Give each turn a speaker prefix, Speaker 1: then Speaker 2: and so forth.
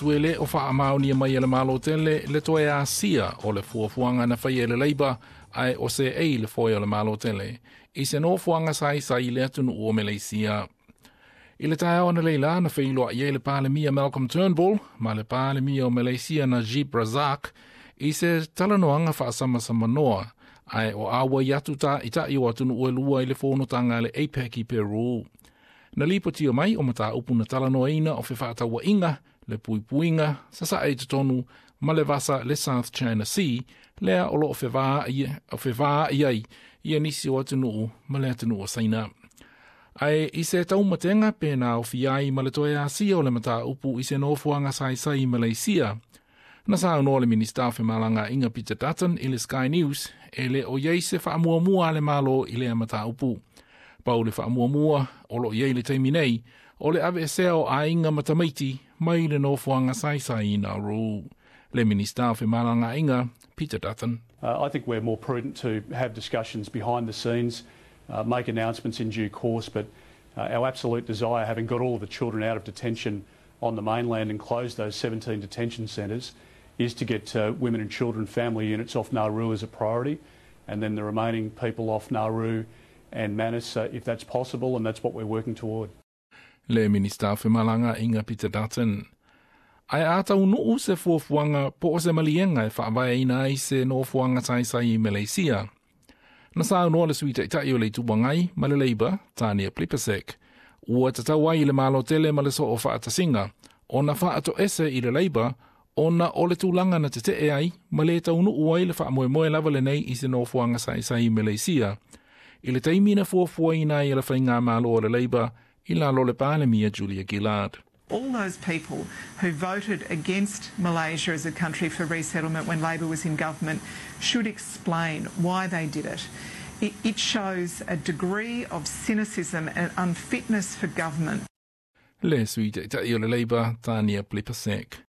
Speaker 1: E le o faamaonia mai e le Malo tele le toe asia o le fuafuaga na faia e le Labour ae o seei le foe o le Malo tele i se nofoaga saisai i le atunuu o Meleisia. I le taeao analeila na feiloai ai le Palemia Malcolm Turnbull ma le Palemia o Meleisia Najib Razak i se talanoaga faasamasamanoa ae o auai atu taitai o atunuu e lua i le fonotaga a le APEC i Peru. Na lipotia mai o mataupu na talanoaina o fefaatauaiga, le puipuiga, sasae i totonu ma le vasa le South China Sea, lea o loo fevaai ai ia nisi o atunuu ma le atunuu o Saina. Ae i se taumatega pe na aofia ai ma le toe asia o le mataupu i se nofoaga saisai i Maleisia, na saunoa le Minista o Femalagaaiga Peter Dutton i le Sky News e le o i ai se faamuamua a le Malo i lea mataupu. Pau le faamuamua o lo o i ai i le taimi nei, o le aveesea o aiga ma tamaiti mai le nofoaga saisai i Nauru. Le Minista o Femalagaaiga Peter Dutton.
Speaker 2: I think we're more prudent to have discussions behind the scenes, make announcements in due course, but our absolute desire, having got all of the children out of detention on the mainland and closed those 17 detention centres, is to get women and children family units off Nauru as a priority, and then the remaining people off Nauru and Manus, if that's possible, and that's what we're working toward.
Speaker 1: Le Minista o Femalagaaiga Peter Dutton. Ae a taunuu se fuafuaga po o se maliega e faavaeina ai se nofoaga saisai i Meleisia, na saunoa le Sui Taitai o le Itu Agai ma le Labour, Tania Plibersek, ua tatau ai i le Malo tele ma le Soo Faatasiga ona faatoese i le Labour ona o le tulaga na tetee ai ma le taunuu ai le faamoemoe lava lenei i se nofoaga saisai i Meleisia i le taimi na fuafuaina ai e le faigamalo a le Labour i lalo o le Palemia Julia Gillard.
Speaker 3: All those people who voted against Malaysia as a country for resettlement when Labor was in government should explain why they did it. It shows a degree of cynicism and unfitness for government.
Speaker 1: Le Sui Taitai o le Labour, Tania Plibersek.